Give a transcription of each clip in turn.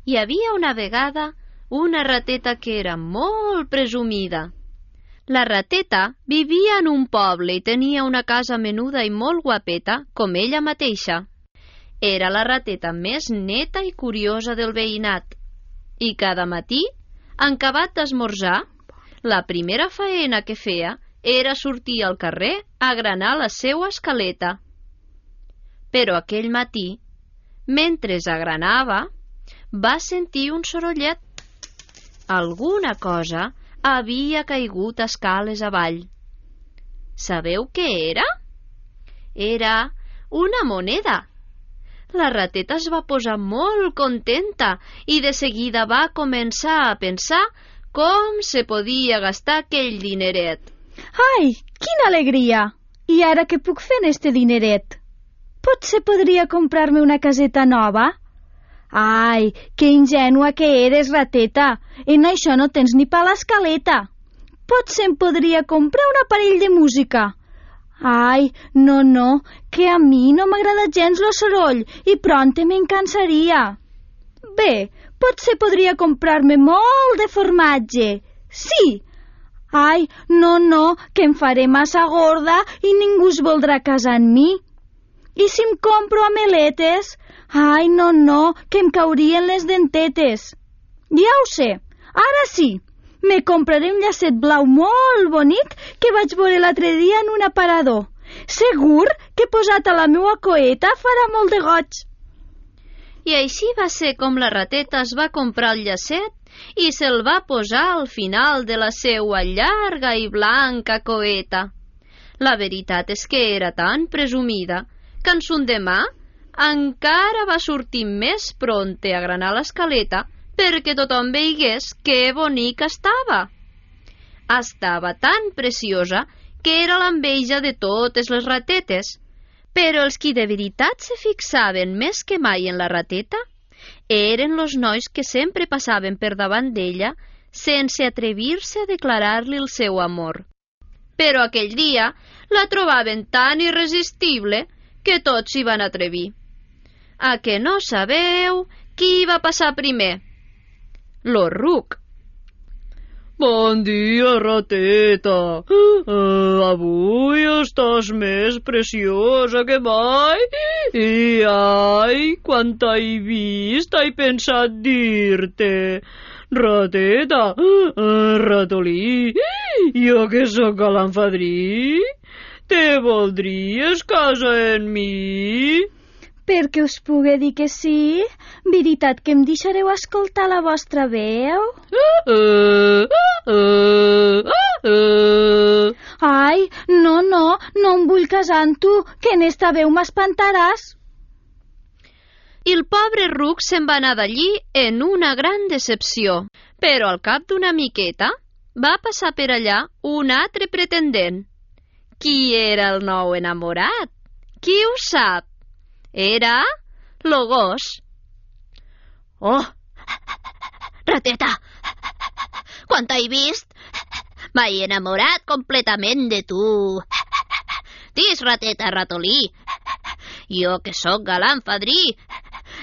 Hi havia una vegada una rateta que era molt presumida. La rateta vivia en un poble i tenia una casa menuda i molt guapeta, com ella mateixa. Era la rateta més neta i curiosa del veïnat. I cada matí, en acabat d'esmorzar, la primera faena que feia era sortir al carrer a agranar la seua escaleta. Però aquell matí, mentre agranava, va sentir un sorollet. Alguna cosa havia caigut escales avall. Sabeu què era? Era una moneda. La rateta es va posar molt contenta i de seguida va començar a pensar com se podia gastar aquell dineret. Ai, quina alegria! I ara què puc fer en este dineret? Potser podria comprar-me una caseta nova? Ai, que ingènua que eres, rateta! En això no tens ni pa a l'escaleta. Potser em podria comprar un aparell de música. Ai, no, que a mi no m'agrada gens lo soroll i prompte me'n cansaria. Bé, potser podria comprar-me molt de formatge. Sí! Ai, no, que em faré massa gorda i ningú es voldrà casar amb mi. I si em compro ameletes? Ai, no, que em caurien les dentetes. Ja ho sé, ara sí. Me compraré un llacet blau molt bonic que vaig veure l'altre dia en un aparador. Segur que posat a la meua coeta farà molt de goig. I així va ser com la rateta es va comprar el llacet i se'l va posar al final de la seua llarga i blanca coeta. La veritat és que era tan presumida que en son demà encara va sortir més prompte a granar l'escaleta perquè tothom veigués que bonica estava. Estava tan preciosa que era l'enveja de totes les ratetes, però els qui de veritat se fixaven més que mai en la rateta eren los nois que sempre passaven per davant d'ella sense atrevir-se a declarar-li el seu amor. Però aquell dia la trobaven tan irresistible que tots s'hi van atrevir. A que no sabeu qui va passar primer? Lo ruc. Bon dia, rateta. Avui estàs més preciosa que mai. I ai, quan t'he vist, he pensat dir-te. Rateta, ratolí, jo que sóc galant fadrí, te voldries casar amb mi? Perquè us pugui dir que sí? Veritat que em deixareu escoltar la vostra veu? Ai, no em vull casar amb tu, que en esta veu m'espantaràs. I el pobre ruc se'n va anar d'allí en una gran decepció. Però al cap d'una miqueta va passar per allà un altre pretendent. Qui era el nou enamorat? Qui ho sap? Era lo gos. Oh, rateta, quan t'he vist m'he enamorat completament de tu. Dis, rateta, ratolí, jo que sóc galant fadrí,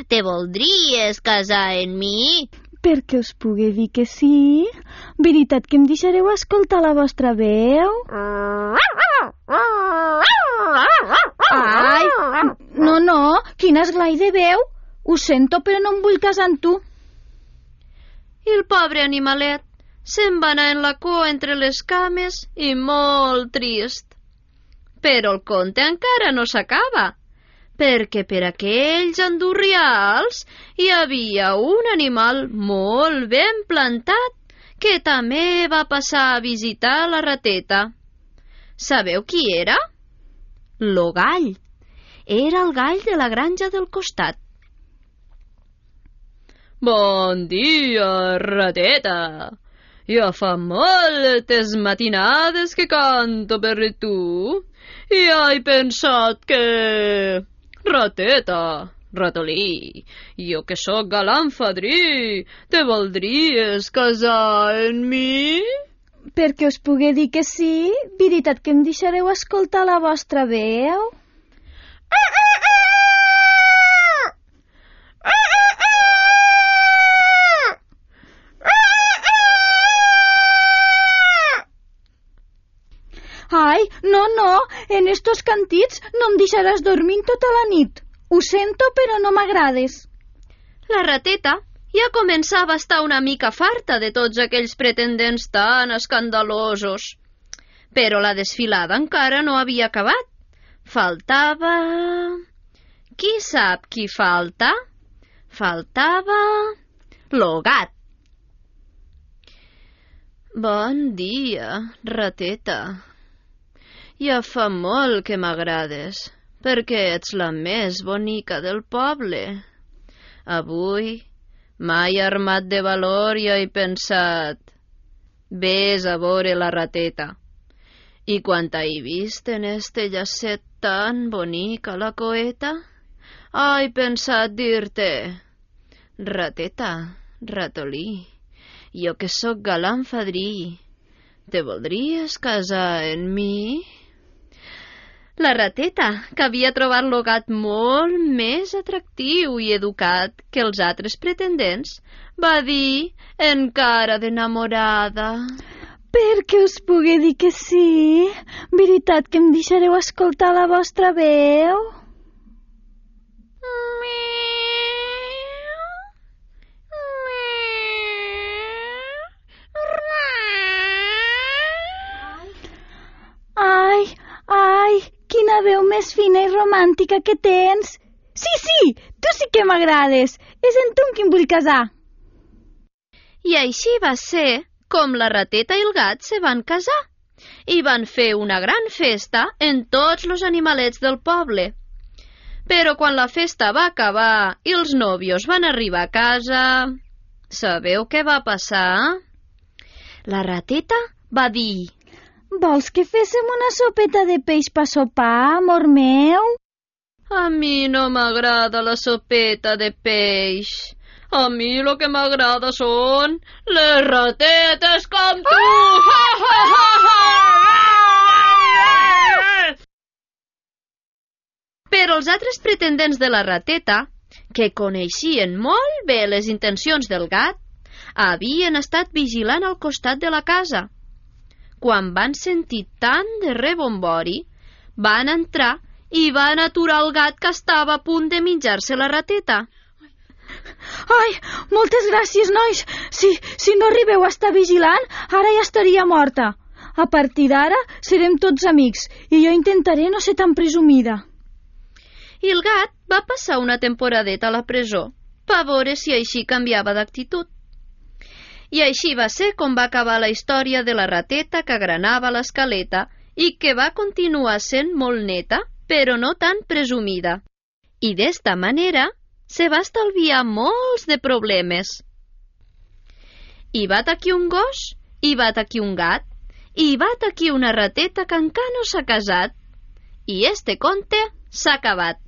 te voldries casar amb mi? Perquè us pugui dir que sí? Veritat que em deixareu escoltar la vostra veu? Ai, no, quin esglai de veu. Ho sento, però no em vull casar amb tu. I el pobre animalet se'n va anar en la cua entre les cames i molt trist. Però el conte encara no s'acaba, perquè per aquells andurrials hi havia un animal molt ben plantat que també va passar a visitar la rateta. Sabeu qui era? Lo gall. Era el gall de la granja del costat. Bon dia, rateta. Ja fa moltes matinades que canto per tu i he pensat que... Rateta, ratolí, jo que sóc galant fadrí, te voldries casar amb mi? Perquè us pugui dir que sí? Veritat que em deixareu escoltar la vostra veu? no em deixaràs dormint tota la nit. Ho sento, però no m'agrades. La rateta ja començava a estar una mica farta de tots aquells pretendents tan escandalosos. Però la desfilada encara no havia acabat. Faltava... Qui sap qui falta? Faltava... lo gat. Bon dia, rateta. Ja fa molt que m'agrades, perquè ets la més bonica del poble. Avui, mai armat de valor, ja he pensat... Ves a veure la rateta. I quan t'he vist en este llacet tan bonic a la coeta, he pensat dir-te... Rateta, ratolí, jo que sóc galant fadrí, te voldries casar amb mi? La rateta, que havia trobat lo gat molt més atractiu i educat que els altres pretendents, va dir, encara d'enamorada... Perquè us pugui dir que sí? Veritat que em deixareu escoltar la vostra veu? Ai, quina veu més fina i romàntica que tens! Sí, tu sí que m'agrades! És en tu amb qui em vull casar! I així va ser com la rateta i el gat se van casar i van fer una gran festa en tots els animalets del poble. Però quan la festa va acabar i els nòvios van arribar a casa, sabeu què va passar? La rateta va dir... Vols que féssim una sopeta de peix per sopar, amor meu? A mi no m'agrada la sopeta de peix. A mi lo que m'agrada són les ratetes com tu! Però els altres pretendents de la rateta, que coneixien molt bé les intencions del gat, havien estat vigilant al costat de la casa. Quan van sentir tant de rebombori, van entrar i van aturar el gat que estava a punt de menjar-se la rateta. Ai, moltes gràcies, nois. Si no arribeu a estar vigilant, ara ja estaria morta. A partir d'ara serem tots amics i jo intentaré no ser tan presumida. I el gat va passar una temporadeta a la presó per veure si així canviava d'actitud. I així va ser com va acabar la història de la rateta que agranava l'escaleta i que va continuar sent molt neta, però no tan presumida. I d'esta manera se va estalviar molts de problemes. Hi va aquí un gos, hi va aquí un gat, i hi va aquí una rateta que encara no s'ha casat. I este conte s'ha acabat.